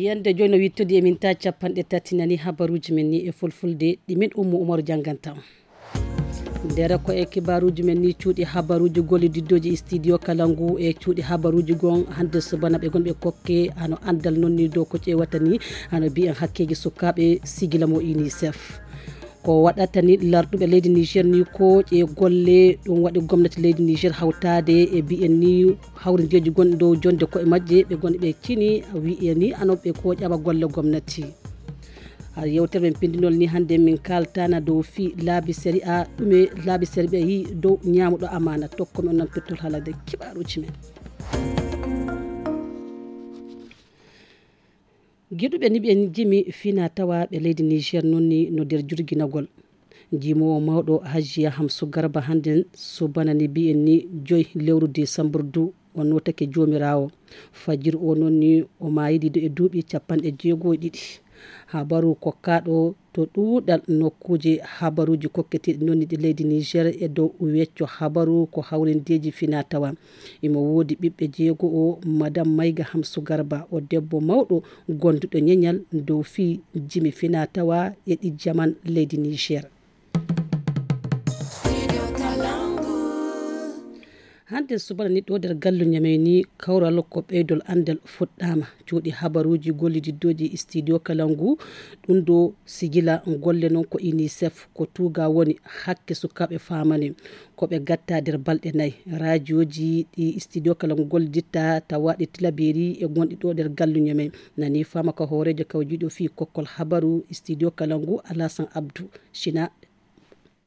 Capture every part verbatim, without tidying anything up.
Yande jooni no wittodi e min ta capanɗe tati nani habaruuji men ni e fulfulde ɗi min Ummu Umaru jannganta. Ndera ko e kibaaruuji men ni cuuɗi habaruuji gollididdooji e studio kala ngu e cuuɗi habaruuji gon hannde subana ɓe gonɓe kokke hano anndal non ni dow ko ƴeewata ni hano mbiyen hakkeeji sukaaɓe sigila mo UNICEF. Ko waɗata ni larɗuɓe leydi Niger ni ko ƴe golle ɗum waɗi gomnati leydi Niger hawtaade e mbiyen ni hawrindeeji gonɗi dow jonde koye majje ɓe gonɗi ɓe cini wiye ni ano ɓe ko ƴaɓa golle gomnati. Har yewtere men pindinol ni hannde min kaltana dow fii laabi sariya ɗume laabi sariya yi dow ñaamuɗo amaana tokko mi on nan pettol haalade kibaaruuji men. Giɗuɓe ni ɓe jimi fina tawa ɓe leydi Niger non ni no nder jurginagol. Jimowo mawɗo Hajiya Hamsu Garba hannden subana ni mbiyen ni joy lewru desambur du o notake joomiraawo. Fajir o non ni o maayidi e duuɓi capanɗe jeego e ɗiɗi. Habaru kokkaɗo to ɗuuɗal nokkuuje habaruuji kokketeeɗi non ni ɗi leydi Niger e dow wecco habaru ko hawrindeeji fina tawa. Imo woodi ɓiɓɓe jeego o Madam Mayga Hamsu Garba o debbo mawɗo gonduɗo ñeñal dow fii jimi fina tawa e ɗi jaman leydi Niger. Hannde subana ni ɗo nder gallu ñamey ni kawral ko ɓeydol anndal fuɗɗaama cuuɗi habaruuji gollididdooji studio kala ngu. Ɗum ɗo sigila golle noon ko UNICEF ko tuuga woni hakke sukaaɓe faamani ko ɓe gatta nder balɗe nayi. Raajooji ɗi studio kala ngu golliditta tawa ɗi tilabeeri e gonɗi ɗo nder galluño men nani faama ko hooreejo kawjiiɗo fii kokkol habaru studio kala ngu Alasan Abdu Sina.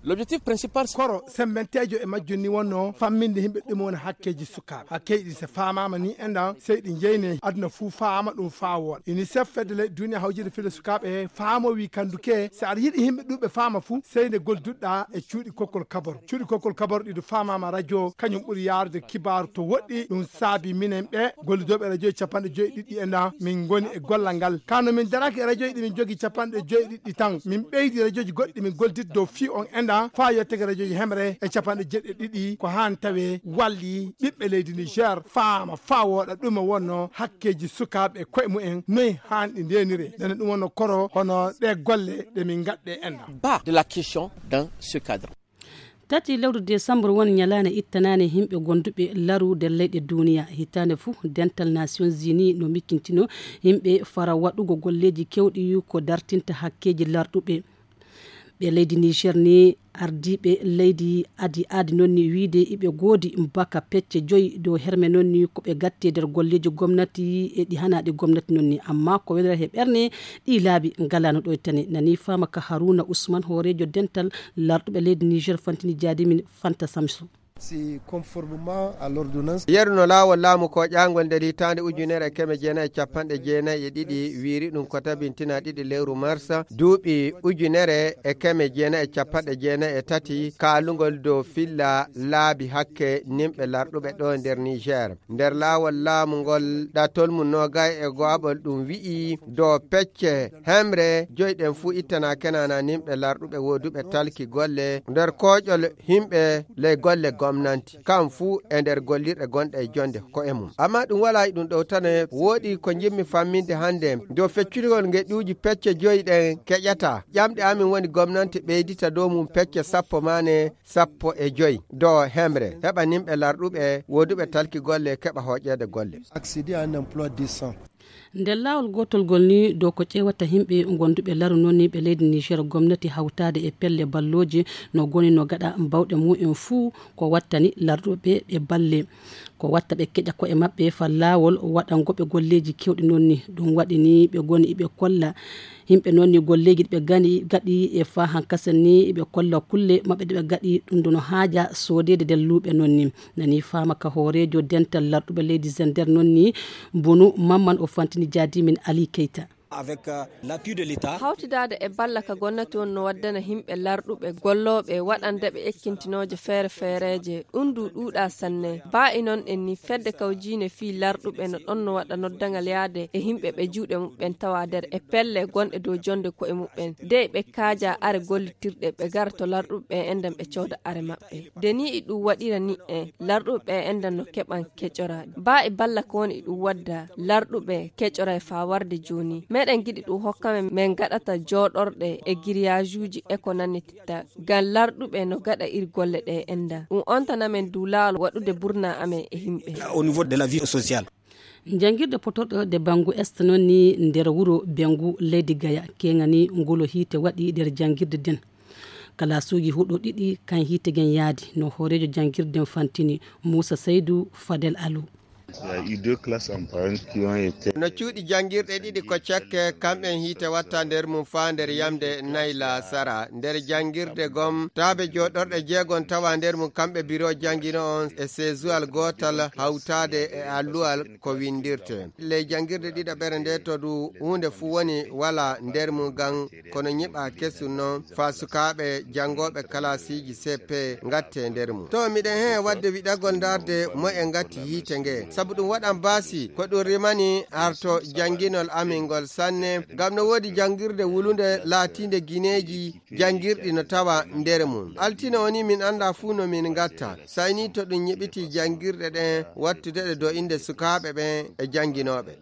L'objectif principal koro sembenteejo e majjum ni wonno famminde yimɓe ɗum woni hakkeeji sukaaɓe hakkee ɗi so faamaama ni enɗan sey ɗi jeyne aduna fuu faama ɗum faa wooɗa. UNICEF fedde leyɗe duniya hawjide fedde sukaaɓe faamo wi kanduke si aɗa yiɗi yimɓe ɗuɓe faama fuu sey nde golduɗa e cuuɗi kokkol kabor cuuɗi kokkol kabor ɗiɗo faamaama radio kañum ɓuri yaarude kibaaru to woɗɗi ɗum saabi minen ɓe gollidooɓe radio capanɗe joyi ɗiɗɗi enɗan min ngoni e gollal ngal kano min daraki e radio ɗi min jogi capanɗe joyi ɗiɗɗi tan min ɓeydi radioji goɗɗi min goldit dow fii on enɗan faa yettake radioji hemre e capanɗe jeɗɗi ɗiɗi ko haan tawe walli ɓiɓɓe leydi niger faama faa wooɗa ɗum e wonno hakkeeji sukaaɓe e koye mumen noy haanɗi ndeenire nene ɗum wonno koro hono ɗe golle ɗe min ngaɗɗe enɗan. Bas de la question dans ce cadre. Tati lewru desambur woni ñalaande ittanaande yimɓe gonduɓe laru nder leyɗe duniya hitaande fuu dental nations unis no miccintino yimɓe fara waɗugo golleeji kewɗi ko dartinta hakkeeji larɗuɓe. Ɓe leydi niger ni ardiiɓe leydi adi aadi noon ni wiide iɓe goodi mbaka pecce joyi dow herme noon ni ko ɓe gatti e nder golleeji gomnati e ɗi hanaɗi gomnati noon ni amma ko wenere he ɓerne ɗi laabi ngalano ɗo e tane nani faama ka haruna ousmane hooreejo dental larɗuɓe leydi niger fantini jaadimin fanta samsu. Si conformement à l'ordonnance. Yeru no laawol laamu ko ƴaangol nder hitaande ujunere e keme jeenayi e capanɗe jeenayi e ɗiɗi wiiri ɗum ko tabintina ɗiɗi lewru marsa duuɓi ujunere e keme jeenayi e capanɗe jeenayi e tati kaalungol dow filla laabi hakke nimɓe larɗuɓe ɗo nder niger. Nder laawol laamu ngol ɗatol mum noogay e go'aɓol ɗum wi'i dow pecce hemre joyi ɗen fuu ittana kenana nimɓe larɗuɓe wooduɓe talki golle nder kooƴol himɓe ley golle gomnanti kam fuu e nder gollirɗe gonɗe e jonde ko e mum amma ɗum wala e ɗum ɗowtane wooɗi ko jimmi famminde hannde dow feccutugol ngeɗɗuuji pecce joyi ɗen keƴata ƴamɗe amin woni gomnanti ɓeydita dow mum pecce sappo mane sappo e joyi dow hemre heɓa nimɓe larɗuɓe woduɓe talki golle keɓa hoƴede golle. Accéder à un emploi décent. Nder laawol gootol ngol ni dow ko ƴeewata yimɓe gonduɓe laru noon ni ɓe leydi niger gomnati hawtaade e pelle ballooje no goni no gaɗa mbawɗe mumen fuu ko wattani larɗuɓe ɓe balle ko watta ɓe keƴa koye maɓɓe fa laawol waɗangoɓe golleeji kewɗi noon ni ɗum waɗi ni ɓe goni iɓe kolla yimɓe noon ni golleeji ɗi ɓe gani gaɗi e fa hankasa ni iɓe kolla kulle maɓɓe ɗe ɓe gaɗi ɗum ɗo no haaja soodeede nder luuɓe noon ni nani faama ka hooreejo dental larɗuɓe leydi zender noon ni bunu mamman o fantini jaadimin ali keyta. Avec l'appui de l'état. Hawtidaade e balla ka gonnati on no waddana himɓe larɗuɓe gollooɓe waɗandeɓe ekkintinooje feere feereeje. Ɗum du ɗuuɗa sanne. Baa e non en ni fedde kawjiine fii larɗuɓe no ɗon no waɗa noddaŋal yaade e himɓe ɓe juuɗe muɓɓen tawa nder e pelle gonɗe dow jonde ko'e muɓɓen dey ɓe kaaja are gollitirɗe ɓe gara to larɗuɓe ɓe enɗan ɓe cooda are maɓɓe. Deni e ɗum waɗira ni'e larɗuɓe ɓe enɗan no keɓan keƴora. Baa e balla ko woni e ɗum wadda larɗuɓe keƴora e faa warde jooni meɗen giɗi ɗum hokka men men gaɗata jooɗorɗe e giriyaajuuji e ko nannititta ngam larɗuɓe no gaɗa ir golle ɗe enɗan ɗum ontana men du laawol waɗude burna amen e himɓe. Au niveau de la vie sociale. Janngirde potorɗo de banngu est noon ni nder wuro bengu leydi gaya keŋani ngulo hiite waɗi nder janngirde nden. Kalaasuuji huɗo ɗiɗi kan hiite gen yaadi no hooreejo janngirde nden fantini muusa saydu fadel alu. No cuuɗi janngirɗe ɗiɗi ko cekke kamɓen hiite watta nder mum faa nder yamde nayla sara nder janngirde gom taabe jooɗorɗe jeegon tawa nder mum kamɓe biro janngino on e seesuwal gootal hawtaade e alluwal ko winndirte ley janngirde ɗiɗaɓere nde to du huunde fuu woni wala nder mum ngam kono nyiɓa kesum noon faa sukaaɓe janngooɓe kalaasiiji ceppe ngatte nder mum to miɗen heen waɗde wiɗagol ndaarde mo e ngatti hiite nge sabu ɗum waɗan baasi ko ɗum rimani harto jannginol amin ngol sanne ngam no woodi janngirde wulunde laatiinde gineeji janngirɗi no tawa nder mum altine woni min annda fuu no min ngatta sayni to ɗum nyiɓiti janngirɗe ɗen wattude ɗe do innde sukaaɓe ɓen e jannginooɓe.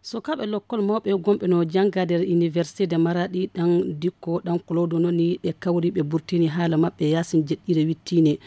Sukaaɓe lokkol mawɓe gomɓe no jannga nder université de maraɗi ɗan dikko ɗan kolodo noni ɓe kawri ɓe burtini haala maɓɓe yaasin jeɗɗire wittine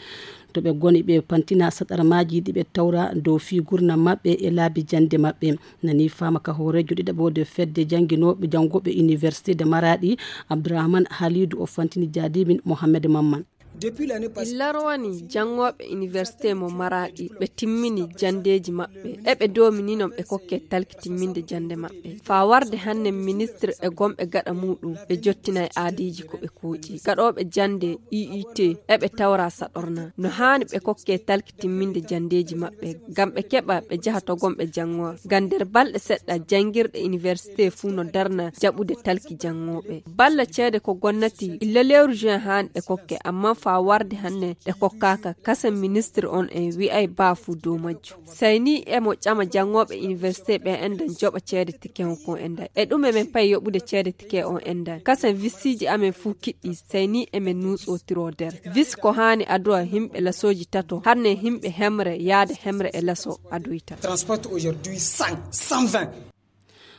to ɓe goni ɓe pantina saɗarmaaji ɗi ɓe tawra dow fii gurnam maɓɓe e laabi jannde maɓɓe. Nani faama ka hooreejo ɗiɗaɓo de fedde jannginooɓe janngooɓe université de maraɗi abdourahmane halidu o fantini jaadimin mohammed mamman. Illa rowani janngooɓe université mo maraɗi ɓe timmini janndeeji maɓɓe eɓe doomini non ɓe kokke talki timminde jannde maɓɓe faa warde hannen ministre e gomɓe gaɗa muuɗum ɓe jottinay aadiiji ko ɓe kuuƴi gaɗooɓe jannde iit eɓe tawra saɗorna no haani ɓe kokke talki timminde janndeeji maɓɓe ngam ɓe keɓa ɓe njaha to gomɓe janngoo ngam nder balɗe seɗɗa janngirɗe université fuu no darna jaɓude talki janngooɓe balla ceede ko gonnati illa lewru juin haani ɗe kokke amma faa warde hanne ɗe kokkaaka kasen ministre on en wi'ay baa fuu dow majjum sayni emo ƴama janngooɓe université ɓe enɗan joɓa ceede tike on kon enɗan e ɗume men payi yoɓude ceede tike on enɗan kasen vissiiji amen fuu kiɗɗi sayni emen nuutsotiro nder vis ko haani aduwa himɓe lasooji tato hanne himɓe hemre yaade hemre e laso adoyta. Transport aujourd'hui cent, cent vingt.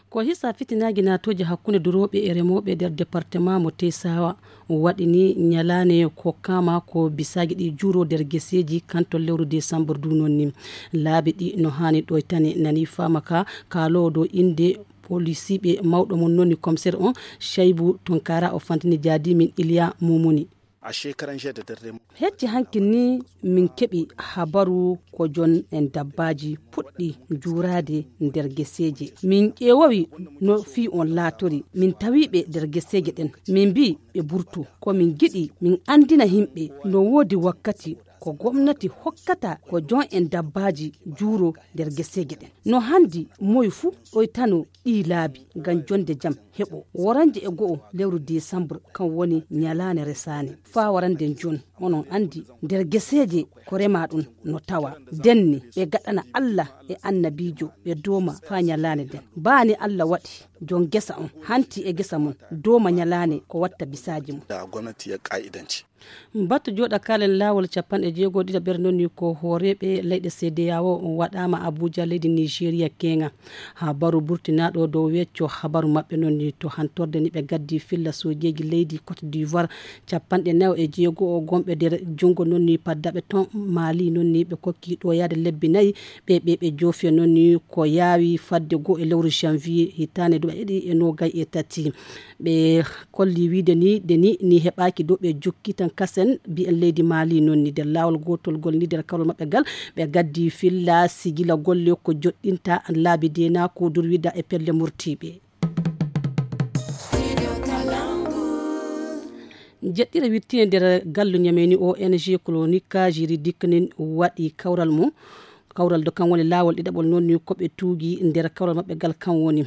Ko hisa fitinaaji naatooji hakkunde durooɓe e remooɓe nder departement mo tesawa waɗini ñalaane ko kama ko bisaaji ɗi juuro nder geseeji kanto lewru décembre du noon ni. Laabi ɗi no haani ɗoytane nani faama ka kaaloowo dow innde polisiiɓe mawɗo mum noon ni commissaire on chaybu tunkara o fantini jaadimin iliya mumuni. A shekaran jiya da dare. Hecci hanki ni min keɓi habaru ko jon en dabbaaji puɗɗi juuraade nder geseeje min ƴeewowi no fii on laatori min tawiɓe nder geseeje ɗen min mbi ɓe burtu ko min giɗi min anndina yimɓe no woodi wakkati ko gomnati hokkata ko jon en dabbaaji juuro nder geseeje ɗen no hanndi moy fuu ɗoytano ɗii laabi ngam jonde jam heɓo woranje e go'o lewru décembre kan woni ñalaande resaande faa warande jon onon anndi nder geseeje ko rema ɗum no tawa denni ɓe gaɗana allah e annabiijo ɓe dooma faa ñalaande nden baani allah waɗi jon gesa on hanti e gesa mum dooma ñalaande ko watta bisaaji mum. Gomnati ya ka'idanci. Battu jooɗa kaalen laawol capanɗe jeego ɗiɗaɓere noon ni ko hooreeɓe leyɗe cedeao waɗaama abuja leydi nigeria keeŋa. Habaru burtinaaɗo dow wecco habaru maɓɓe noon ni to hantorde ni ɓe gaddi filla sojeeji leydi cote d'ivoire capanɗe nayo e jeego o gomɓe nder junngo noon ni paddaɓe ton mali noon ni ɓe kokki ɗo yaade lebbi nayi ɓe ɓe ɓe joofi noon ni ko yaawi fadde goo e lewru janvier hitaande duuɓi ɗiɗi e noogay e tati. Ɓe kolli wiide ni de ni ni heɓaaki dow ɓe jokki tan kasen mbiyen leydi mali noon ni nder laawol gootol ngol ni nder kawral maɓɓe ngal ɓe gaddi filla sigila golle ko joɗɗinta laabi dena ko durwida e pelle murtiiɓe. Jeɗɗire wittine nder gallu ñameni ong colonika juridique nin waɗi kawral mum kawral do kan woni laawol ɗiɗaɓol noon ni ko ɓe tuugi nder kawral maɓɓe ngal kan woni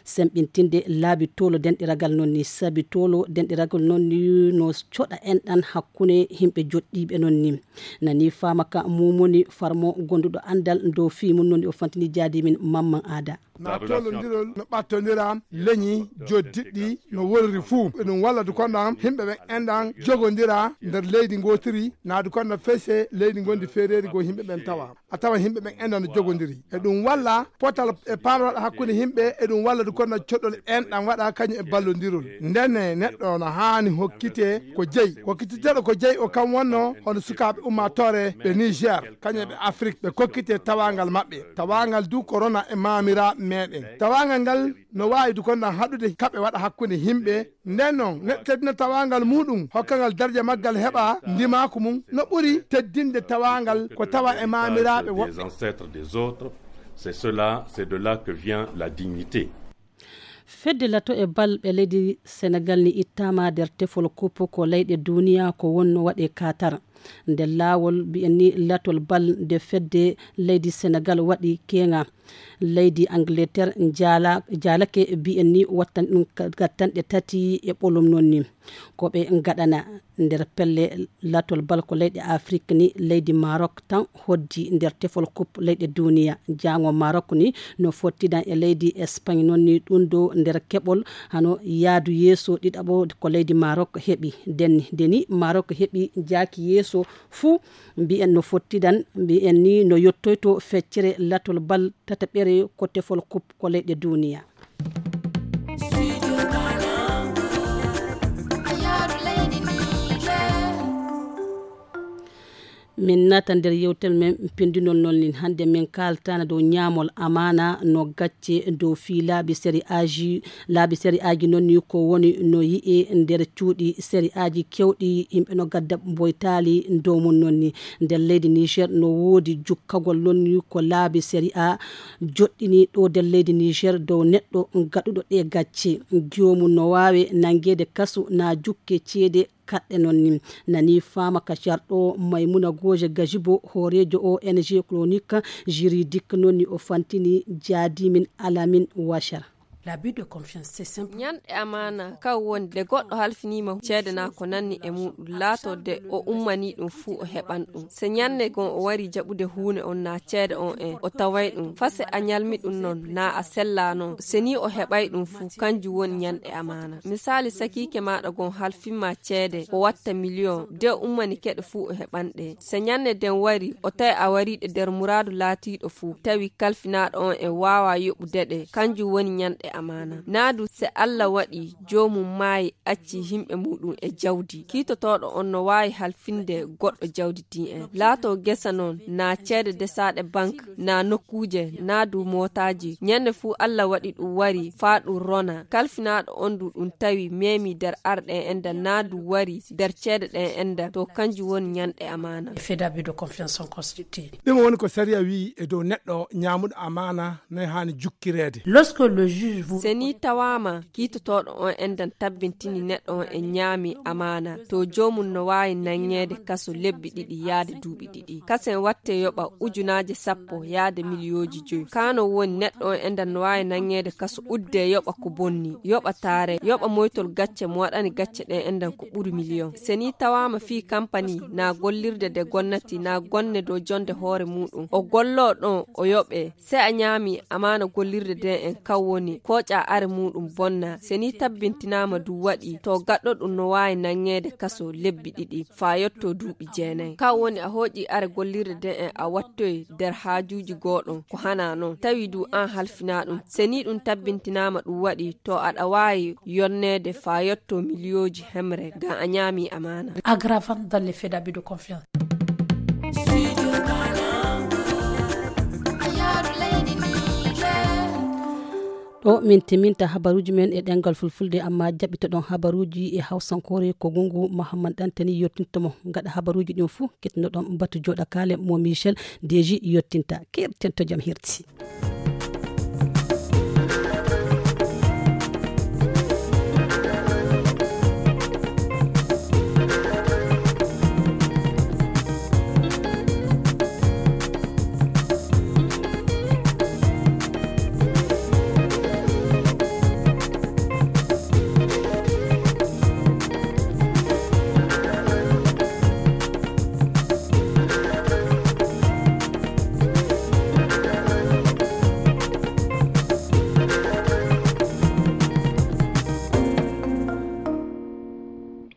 Semɓintinde laabi tolo denɗiragal noon ni, sabi tolo denɗiragal noon ni no coɗa enɗan hakkunde yimɓe joɗɗiiɓe noon ni. Nani faama ka mumoni farmo gonduɗo anndal dow fii mum noon ni, o fantini jaadi min Mamman Aada. Na tolondirol no ɓattondiram leñi joddiɗɗi no worri fuu. Eɗum walla du konɗam himɓe ɓen enɗan jogondira nder leydi ngotiri, na du konɗam fese leydi gondi feereeri goo himɓe ɓen tawa. A tawa himɓe ɓen enɗan no jogondiri. Eɗum walla potal e pamral hakkunde himɓe, eɗum walla du konɗam coɗɗol enɗan waɗa kañum e ballondirol. Ndenne neɗɗo no haani hokkite ko jeyi. Hokkititeɗo ko jeyi o kam wonno hono sukaaɓe ummaatoore ɓe Niger, kañum e ɓe Afrik, ɓe kokkite tawaangal maɓɓe. Tawaangal du korona e maamiraaɓe meɗen. Tawaangal ngal no waawi du konɗam haɗude kaɓe waɗa hakkunde himɓe. Nden noon, neɗɗo teddina tawaangal muɗum, hokkangal darja maggal heɓa ndimaaku mum, no ɓuri teddinde tawaangal ko tawa e maamiraaɓe woɓɓe. Des ancêtres des autres, c'est cela, c'est de là que vient la dignité. Fedde lato e bal ɓe leydi Senegal ni ittaama nder tefol kup ko leyɗe duniya ko wonno waɗe Qatar. Nder laawol mbiyen ni latol bal nde fedde leydi Senegal waɗi keeŋa. Leydi Angleterre njaala-, jaalake mbiyen ni wattan ɗum ka-, gattanɗe tati e ɓolum noon ni. Ko ɓe ngaɗana nder pelle latol bal ko leyɗe Afrik ni, leydi Maroc tan hoddi nder tefol kup leyɗe duniya. Jaango Maroc ni no fottidan e leydi Espagne noon ni, ɗum ɗo nder keɓol hano yaadu yeeso ɗiɗaɓo ko leydi Maroc heɓi. Denni, deni Maroc heɓi jaaki yeeso fuu, mbiyen no fottidan, mbiyen ni no yottoyto feccere latol bal tataɓere ko tefol kup ko leyɗe duniya. Min naata nder yewtere men pindunol noon nin. Hannde min kaaltana dow ñaamol amaana no gacce dow fii laabi sari'aaji. Laabi sari'aaji noon ni ko woni no yi'e nder cuuɗi sari'aaji kewɗi, yimɓe no gadda mboytaali dow mum noon ni. Nder leydi Niger no woodi jukkagol noon ni ko laabi sari'a joɗɗini ɗo nder leydi Niger dow neɗɗo gaɗuɗo ɗe gacce. Joomum no waawe nangeede kasu na jukke ceede kaɗɗe noon ni. Nani faama ka carɗo Maymuna Gooje Gajibo, hooreejo O N G Chronique Juridique noon ni o fantini jaadimin Alamin Wachar. L'abus de confiance, c'est simple. Ñanɗe amaana, kaw woni nde goɗɗo halfiniima ceede naa ko nanni e muuɗum, laatoo de o ummanii ɗum fuu o heɓan ɗum. Se ñannde goo o warii jaɓude huune on naa ceede on en, o taway ɗum. Fase a ñalmi ɗum non, naa a sellaano. Se nii o heɓay ɗum fuu, kanjum woni ñanɗe amaana. Misaali, sakiike maaɗa goo halfin ma ceede, o watta miliyon, de o ummanike ɗe fuu o heɓan ɗe. Se ñannde nden warii, o tawi a warii ɗe nder muraadu laatiiɗo fuu, tawi kalfinaaɗo on en waawaa yoɓude ɗe, kanjum woni ñanɗe amaana. Naa du se Alla waɗii joomum maayi, accii yimɓe muuɗum e jawdi, kiitotooɗo on no waawi halfinde goɗɗo jawdi din en. Laatoo gesa non, naa ceede desaaɗe bank, naa nokkuuje, naa du mootaaji. Ñannde fuu Alla waɗi ɗum warii faa ɗum rona. Kalfinaaɗo on du ɗum tawi meemii nder arɗe en enɗan, naa du warii nder ceede ɗen enɗan. To kanjum woni ñanɗe amaana. Les faits d'abus de confiance sont constitués. Ɗum woni ko sariya wi'i e dow neɗɗo ñaamuɗo amaana no haani jukkireede. Lorsque le juge vous Se nii tawaama kiitotooɗo on enɗan tabbintini neɗɗo on en ñaami amaana, to joomum no waawi nanŋeede kaso lebbi ɗiɗi yaade duuɓi ɗiɗi. Kasen wattee yoɓa ujunaaje sappo yaade miliyooji jowi. Kaa no woni neɗɗo on enɗan no waawi nanŋeede kaso uddee yoɓa ko bonni, yoɓa taare, yoɓa moytol gacce mo waɗani gacce ɗen enɗan ko ɓuri miliyon. Se nii tawaama fii kampani naa gollirde nde gonnati naa gonne dow jonnde hoore muuɗum, o golloo ɗon o yoɓee. Se a ñaami amaana gollirde nden en, kan woni kooƴaa are muuɗum bonna. Se nii tabbintinaama du waɗii, to gaɗɗo ɗum no waawi nanŋeede kaso lebbi ɗiɗi faa yottoo duuɓi jeenay. Kan woni a hooƴii are gollirde nden en a wattoyi nder haajuuji gooɗon ko hanaa non, tawi du an halfinaa ɗum. Se nii ɗum tabbintinaama ɗum waɗii, to aɗa waawi yonneede faa yottoo miliyooji hemre ngam a ñaami amaana. Aggravant dans les faits d'abus de confiance. Ɗo min timinta habaruuji men e ɗemngal fulfulde, amma jaɓɓitoɗon habaruuji e hawsankoore ko Gungu Mahamman Ɗantani yottinta mo. Gaɗa habaruuji ɗin fuu, ketinoɗon batu jooɗakaale mo Michel Deji yottinta. Keerten to jam hirti.